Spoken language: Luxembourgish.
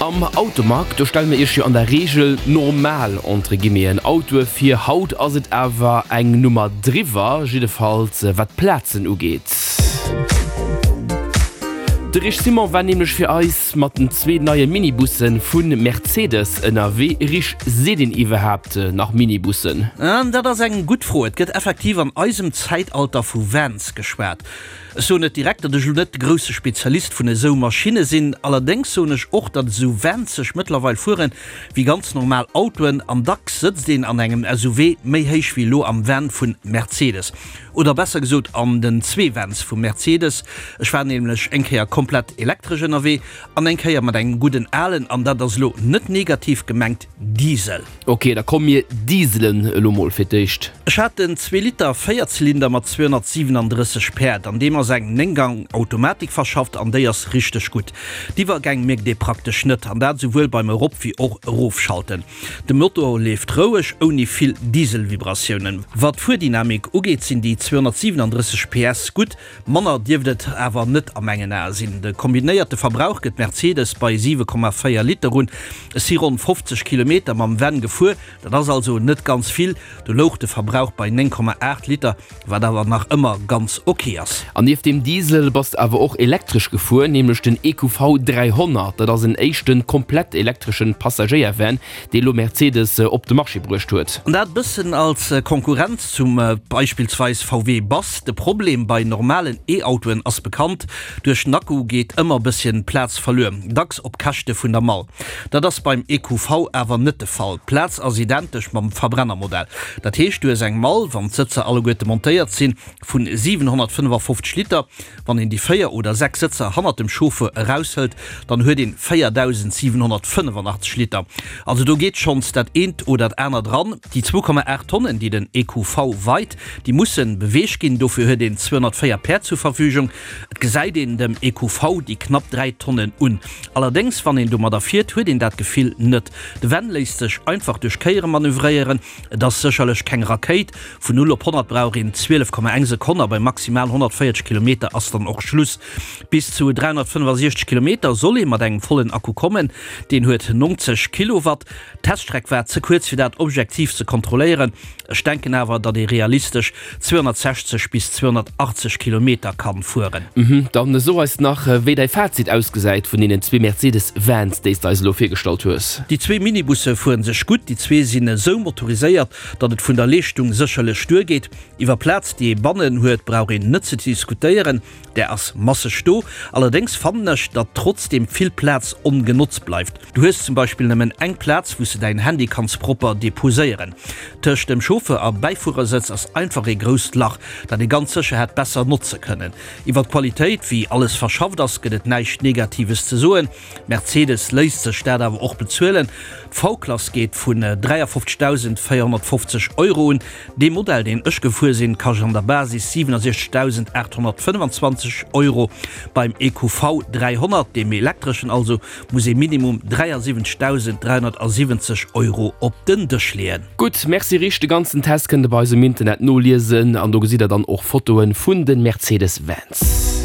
Am Automag, do stelle mir iech jo an der Reegel normal, entre guillemeten, Autoe vir. Haut ass et awer eng Nummer driwwer, jiddefalls wat d'Plazen ugeet. De Rich Simon war nämlech fir eis mat den zwee neie Minibusse vu Mercedes ënnerwee. Rich, seet een iwwerhaapt nach Minibussen? Dat ass eng gutt Fro. Et gëtt effektiv an eisem Zäitalter vu Vans geschwat. Ech soen net direkt, datt ech elo net de grousse Spezialist vun esou Maschinne sinn. Allerdéngs soen ech och, datt esou Vans sech mëttlerweil fuere wéi ganz normal Autoen an dacks sëtzt een an engem SUV méi héich wéi elo am Van vun Mercedes. Oder besser gesot an den zwee Vans vu Mercedes. Ech war nämlech eng Kéier komplett elektresch ënnerwee an eng Kéier mat engem gudden alen, an dat ass elo net negativ gemengt, Diesel. Ok, da komm mir dieselen elo mol fir d'éischt. Ech hat den Zweeliter Véierzylinder mat 237 Päerd. An deem ass eng 9 Gang Automatik verschafft an déi ass richteg gutt. D'Iwwergäng mierkt ee praktesch net, an dat esouwuel beim Erop wéi och Erofschalten. De Motor leeft roueg, ouni vill Dieselvibratiounen. Wat d'Fuerdynamik ugeet sinn déi 237 PS gutt, Manner dierft et awer net a mengen Ae sinn. De kombinéierte Verbrauch gëtt Mercedes bei 7,4 Liter un. Ech si ronn 50 Kilometer mam Van gefuer, dat ass also net ganz vill. Do louch de Verbrauch bei 9,8 Liter, wat awer nach ëmmer ganz ok ass. An nieft dem Diesel bass de awer och elektresch gefuer, nämlech den EQV 300. Dat ass en éischte komplett elektreschen Passagéier-Van, dee lo Mercedes op de Marché bruecht huet. An dat bëssen als Konkurrenz zum beispillsweis VW Bus. De Problem bei normalen E-Autoen ass bekannt, duerch den Akku geet ëmmer bësschen Plaz verluer, dacks op Käschte vun der Mall. Dat ass beim EQV awer net de Fall. D'Plaz ass identesch mam Verbrennermodell. Dat heescht, du hues eng Mall, wann d'Sëtzer alleguerte montéiert sinn, vun 755 Liter. Wann een déi 4 oder 6 Sëtzer hannert dem Chauffeur eraushëlt, dann huet een 4.785 Liter. Also do geet schonns dat eent oder dat anert eran. Déi 2,8 Tonnen, déi den EQV weit, déi mussen beweegt ginn. Dofir huet een 204 Päerd zur Verfügung. Et gesäit een dem EQV déi knapp 3 Tonnen un. Allerdéngs, wann een domadder fiert, huet een dat Gefill net. De Van léisst sech einfach duerch Kéiere manövréieren. Et ass sécherlech keng Rakéit, vun 0 op 100 brauch een 12,1 Sekonn a bei maximal 140 Kilometer ass dann och Schluss. Bis zu 365 Kilometer soll ee mat engem vollen Akku kommen, deen huet 90 Kilowatt. D'Teststreck war ze kuerz fir dat objektiv ze kontrolléieren, ech denken awer datt ee realistesch 260 bis 280 Kilometer kann fueren. Mhm, dann so eis nach wéi däi Fazit ausgesäit vun deenen zwee Mercedes Vans déis de eis elo virgestallt hues. Déi zwee Minibusse fueren sech gutt, déi zwee sinn esou motoriséiert, datt et vun der Leeschtung sécherlech duergeet. Iwwer Plaz déi ee bannen huet brauch een net ze diskutéieren. Där ass masseg do. Allerdéngs fannen ech, datt trotzdeem vill Plaz ongenotzt bleift. Du hues zum Beispill nëmmen eng Plaz, wou s de däin Handy kanns propper deposéieren. Tëscht dem Chauffeur a Bäifuerersëtz ass einfach ee grousst Lach, dat ee ganz sécher hätt besser notze kënnen. Iwwer d'Qualitéit, wéi alles verschafft ass, gëtt et näischt Negatives ze soen. Mercedes léisst sech dat awer och bezuelen. D'V-Klass geet vun 53.450 Euro un. Dee Modell, deen ech gefuer sinn, kascht an der Basis 67.825 Euro. Beim EQV 300, deem elektreschen also, muss ee Minimum 73.370 Euro op den Dësch leeën. Gutt, merci Rich. De ganzen Test kënnt der bei eis um Internet noliesen an do gesitt der dann och Fotoen vun den Mercedes Vans.